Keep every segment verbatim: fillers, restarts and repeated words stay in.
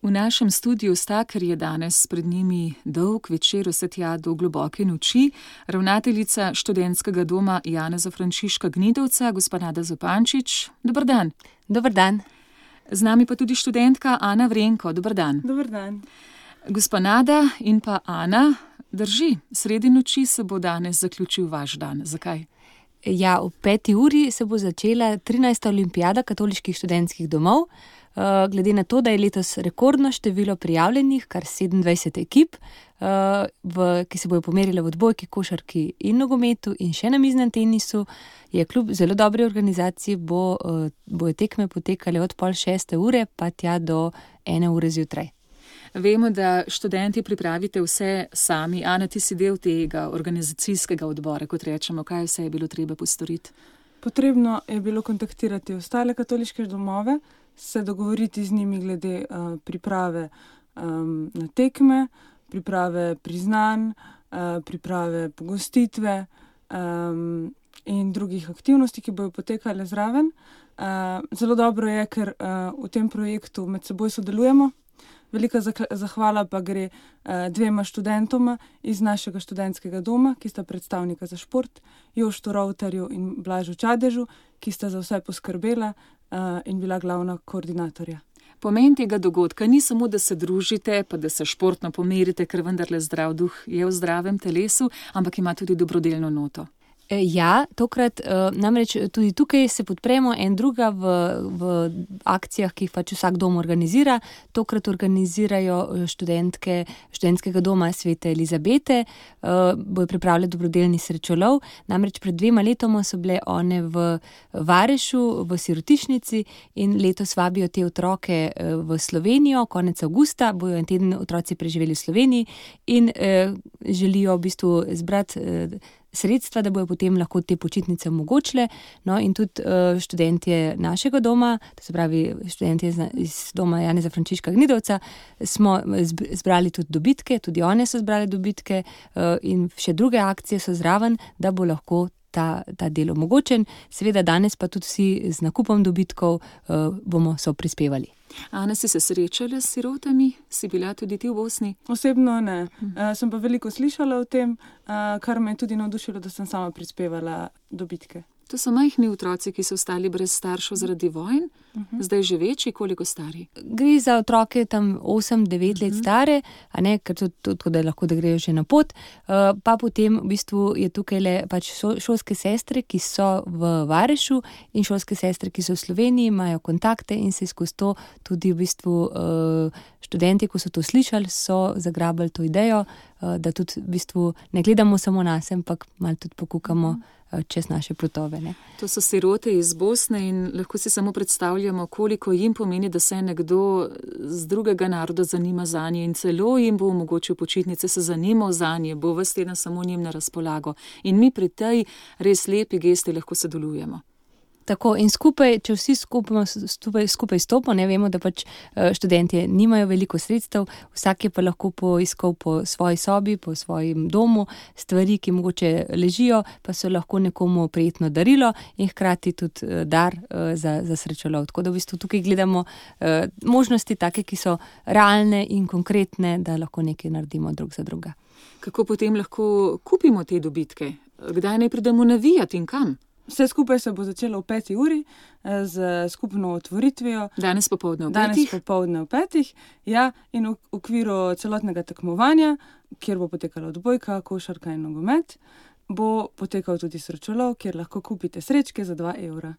V našem studiu sta, ker je danes pred njimi dolg večer vse tja do globoke noči, ravnateljica študentskega doma Janeza Frančiška Gnidovca, gospa Nada Zupančič. Dober dan. Dober dan. Z nami pa tudi študentka Ana Vrenko. Dober dan. Dober dan. Gospa Nada in pa Ana, drži, sredi noči se bo danes zaključil vaš dan. Zakaj? Ja, ob peti uri se bo začela trinajsta olimpijada katoliških študentskih domov. Glede na to, da je letos rekordno število prijavljenih, kar sedemindvajset ekip, v, ki se bojo pomerile v odbojki, košarki in nogometu in še na miznem tenisu, je kljub zelo dobri organizaciji, bo, bojo tekme potekale od pol šeste ure pa tja do ene ure zjutraj. Vemo, da študenti pripravite vse sami. Ana, ti si del tega organizacijskega odbora, kot rečemo. Kaj vse je bilo treba postoriti? Potrebno je bilo kontaktirati ostale katoliške domove, se dogovoriti z njimi glede uh, priprave um, na tekme, priprave priznanj, uh, priprave pogostitve um, in drugih aktivnosti, ki bojo potekale zraven. Uh, zelo dobro je, ker uh, v tem projektu med seboj sodelujemo. Velika zahvala pa gre uh, dvema študentoma iz našega študentskega doma, ki sta predstavnika za šport, Joštu Rovtarju in Blažu Čadežu, ki sta za vse poskrbela uh, in bila glavna koordinatorja. Pomen tega dogodka ni samo, da se družite, pa da se športno pomerite, ker vendarle zdrav duh je v zdravem telesu, ampak ima tudi dobrodelno noto. Ja, tokrat namreč tudi tukaj se podpremo en druga v, v akcijah, ki jih pač vsak dom organizira. Tokrat organizirajo študentke študentskega doma Svete Elizabete, bojo pripravljali dobrodelni srečolov. Namreč pred dvema letoma so bile one v Varešu, v sirotišnici in letos vabijo te otroke v Slovenijo, konec avgusta, bojo en teden otroci preživeli v Sloveniji in eh, želijo v bistvu zbrati eh, sredstva, da bojo potem lahko te počitnice omogočile. No in tudi uh, študentje našega doma, to se pravi študentje iz, iz doma Janeza Frančiška Gnidovca, smo zbrali tudi dobitke, tudi one so zbrali dobitke uh, in še druge akcije so zraven, da bo lahko ta, ta del omogočen. Seveda danes pa tudi vsi z nakupom dobitkov uh, bomo so prispevali. Ana, si se srečala s sirotami? Si bila tudi ti v Bosni? Osebno ne. Uh, sem pa veliko slišala o tem, uh, kar me je tudi navdušilo, da sem sama prispevala dobitke. To so majhni otroci, ki so ostali brez staršev zaradi vojn, uh-huh. Zdaj že večji, koliko stari? Gre za otroke tam osem devet uh-huh. let stare, a ne, ker to, to, to da lahko da grejo že na pot. Uh, pa potem v bistvu je tukaj le pač šolske sestre, ki so v Varešu in šolske sestre, ki so v Sloveniji, imajo kontakte in se skozi to tudi v bistvu uh, študenti, ko so to slišali, so zagrabili to idejo, uh, da tudi v bistvu ne gledamo samo nas, ampak malo tudi pokukamo uh-huh. čez naše plotove. Ne. To so sirote iz Bosne in lahko si samo predstavljamo, koliko jim pomeni, da se nekdo z drugega naroda zanima zanje in celo jim bo omogočil počitnice, se zanimal zanje, bo ves teden samo njim na razpolago. In mi pri tej res lepi gesti lahko sodelujemo. Tako in skupaj, če vsi skupaj, skupaj, skupaj stopimo, ne vemo, da pač študentje nimajo veliko sredstev, vsak je pa lahko poiskal po svoji sobi, po svojem domu, stvari, ki mogoče ležijo, pa so lahko nekomu prijetno darilo in hkrati tudi dar za, za srečolov. Tako da v bistvu tukaj gledamo možnosti take, ki so realne in konkretne, da lahko nekaj naredimo drug za druga. Kako potem lahko kupimo te dobitke? Kdaj naj pridemo navijati in kam? Vse skupaj se bo začelo v peti uri z skupno otvoritvijo. Danes popoldne v petih? Danes popoldne v petih, ja, in v okviru celotnega tekmovanja, kjer bo potekala odbojka, košarka in nogomet, bo potekal tudi srečolov, kjer lahko kupite srečke za dva evra.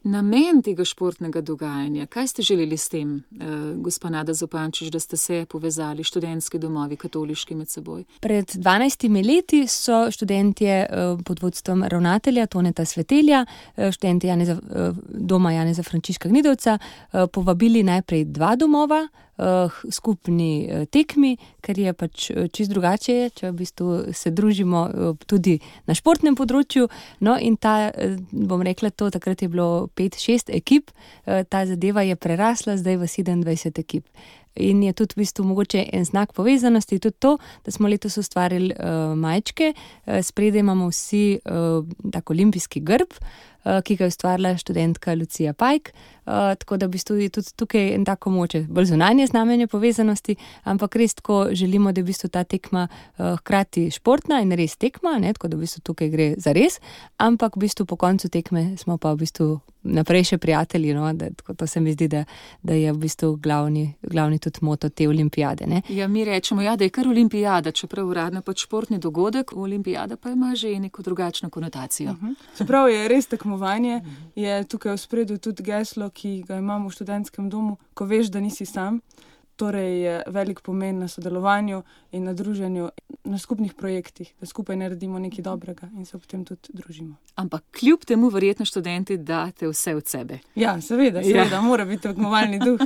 Namen tega športnega dogajanja, kaj ste želeli s tem, eh, gospa Nada Zupančič, da ste se povezali študentski domovi katoliški med seboj? Pred dvanajstimi leti so študentje eh, pod vodstvom ravnatelja Toneta Svetelja, eh, študenti Janeza, eh, doma Janeza Frančiška Gnidovca, eh, povabili najprej dva domova, skupni tekmi, ker je pač čisto drugače, če v bistvu se družimo tudi na športnem področju. No in ta, bom rekla to, takrat je bilo pet šest ekip, ta zadeva je prerasla zdaj v sedemindvajset ekip. In je tudi v bistvu mogoče en znak povezanosti, tudi to, da smo letos ustvarili uh, majčke, uh, spredaj imamo vsi uh, tak olimpijski grb, uh, ki ga je ustvarila študentka Lucija Pajk, uh, tako da v bistvu je tudi tukaj en tako moče, bolj zunanje znamenje povezanosti, ampak res tako želimo, da je v bistvu ta tekma uh, hkrati športna in res tekma, ne, tako da v bistvu tukaj gre za res, ampak v bistvu po koncu tekme smo pa v bistvu naprej še prijatelji, no, da, to se mi zdi, da, da je v bistvu glavni, glavni tudi moto te olimpijade. Ne. Ja, mi rečemo, ja, da je kar olimpijada, čeprav uradno pač športni dogodek, olimpijada pa ima že neko drugačno konotacijo. Uh-huh. Čeprav je res tekmovanje, je tukaj v spredju tudi geslo, ki ga imamo v študentskem domu, ko veš, da nisi sam. Torej je velik pomen na sodelovanju in na druženju, na skupnih projektih, da skupaj naredimo nekaj dobrega in se potem tudi družimo. Ampak kljub temu verjetno študenti date vse od sebe. Ja, seveda, seveda, ja. Mora biti tekmovalni duh.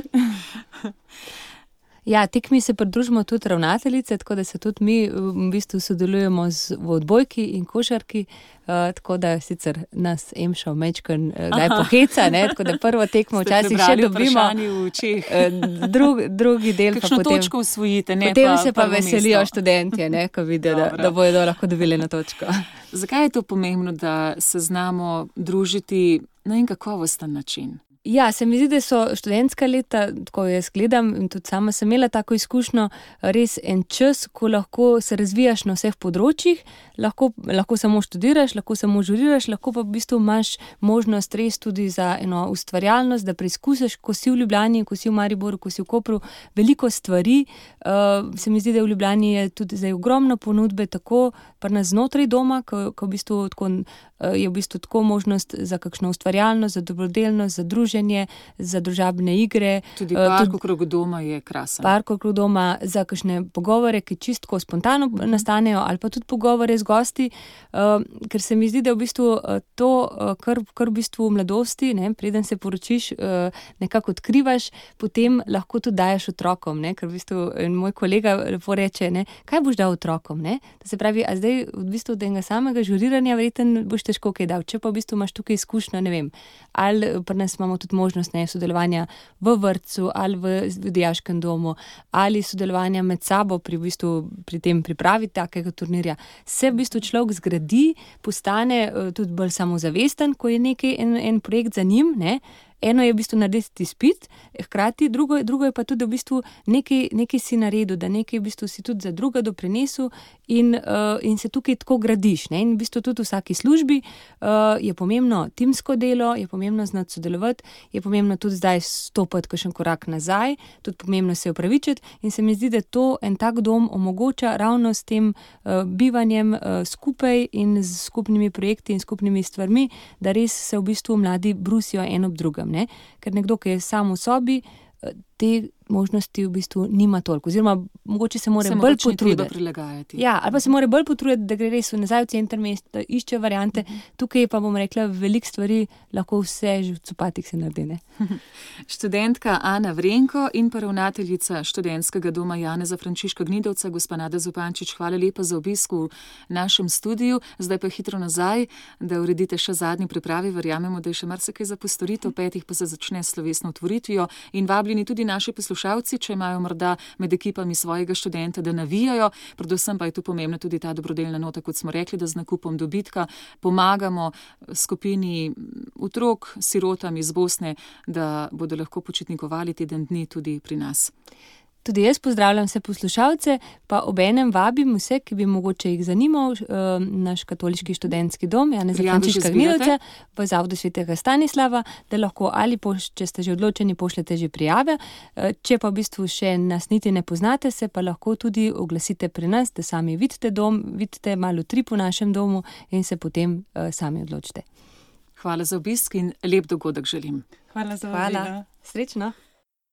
Ja, tekmi se pridružimo tudi ravnateljice, tako da se tudi mi v bistvu sodelujemo z, v odbojki in košarki, uh, tako da sicer nas Emša vmečkan kdaj uh, poheca, ne, tako da prvo tekmo včasih še dobimo, uh, drug, drugi del kakšno pa potem, točko usvojite, ne potem pa se pa veselijo mesto. Študentje, ne, ko vidijo, da, da bojo lahko dobili na točko. Zakaj je to pomembno, da se znamo družiti na en kakovosten način? Ja, se mi zdi, da so študentska leta, tako jaz gledam in tudi sama sem imela tako izkušnjo, res en čas, ko lahko se razvijaš na vseh področjih, lahko, lahko samo študiraš, lahko samo žuriraš, lahko pa v bistvu imaš možnost res tudi za eno ustvarjalnost, da preizkusiš, ko si v Ljubljani, ko si v Mariboru, ko si v Kopru, veliko stvari. Uh, se mi zdi, da v Ljubljani je tudi zdaj ogromno ponudbe, tako pa nas znotraj doma, ko, ko v bistvu tako, uh, je v bistvu tako možnost za kakšno ustvarjalnost, za dobrodelnost, za druženje, za družabne igre. Tudi park okrog doma je krasen. Park okrog doma za kakšne pogovore, ki čistko spontano nastanejo, ali pa tudi pogovore z gosti, uh, ker se mi zdi, da v bistvu to, uh, kar, kar v bistvu v mladosti, ne, preden se poročiš, uh, nekako odkrivaš, potem lahko tudi daješ otrokom, ne, ker v bistvu moj kolega lepo reče, ne, kaj boš dal otrokom, ne, da se pravi, a zdaj v bistvu od enega samega žuriranja verjetno boš težko kaj dal, če pa v bistvu imaš tukaj izkušnjo, ne vem, ali pri nas imamo tudi možnost ne, sodelovanja v vrtcu ali v, v dijaškem domu ali sodelovanja med sabo pri, v bistvu, pri tem pripravi takega turnirja. Se v bistvu človek zgradi, postane uh, tudi bolj samozavesten, ko je nekaj, en, en projekt za njim, ne. Eno je v bistvu narediti izpit, hkrati drugo, drugo je pa tudi v bistvu nekaj, nekaj si naredil, da nekaj v bistvu si tudi za druga doprinesel in, uh, in se tukaj tako gradiš. Ne? In v bistvu tudi v vsaki službi uh, je pomembno timsko delo, je pomembno znati sodelovati, je pomembno tudi zdaj stopiti kakšen korak nazaj, tudi pomembno se opravičiti in se mi zdi, da to en tak dom omogoča ravno s tem uh, bivanjem uh, skupaj in z skupnimi projekti in skupnimi stvarmi, da res se v bistvu mladi brusijo en ob drugem. Ne? Ker nekdo, ki je sam v sobi, te možnosti v bistvu nima toliko, oziroma mogoče se mora se bolj potruditi. prilagajati. Ja, ali pa se mora bolj potruditi, da gre res v nazaj v center mesta, da išče variante. Mm -hmm. Tukaj pa bom rekla, veliko stvari lahko vse že v copatih se naredi. Ne? Študentka Ana Vrenko in pa ravnateljica študentskega doma Janeza Frančiška Gnidovca, gospa Nada Zupančič, hvala lepa za obisk v našem studiu. Zdaj pa hitro nazaj, da uredite še zadnji pripravi. Verjamemo, da je še marsikaj za postoritev, petih pa se začne s slovesno otvoritvijo in vabljeni tudi naši poslušalci, če imajo morda med ekipami svojega študenta, da navijajo. Predvsem pa je tu pomembna tudi ta dobrodelna nota, kot smo rekli, da z nakupom dobitka pomagamo skupini otrok, sirotam iz Bosne, da bodo lahko počitnikovali teden dni tudi pri nas. Tudi jaz pozdravljam vse poslušalce, pa obenem vabim vse, ki bi mogoče jih zanimal, uh, naš katoliški študentski dom, Janeza Frančiška Gnidovca v Zavodu svetega Stanislava, da lahko ali, poš, če ste že odločeni, pošljete že prijave. Uh, če pa v bistvu še nas niti ne poznate, se pa lahko tudi oglasite pri nas, da sami vidite dom, vidite malo trip v našem domu in se potem uh, sami odločite. Hvala za obisk in lep dogodek želim. Hvala za vabilo. Srečno.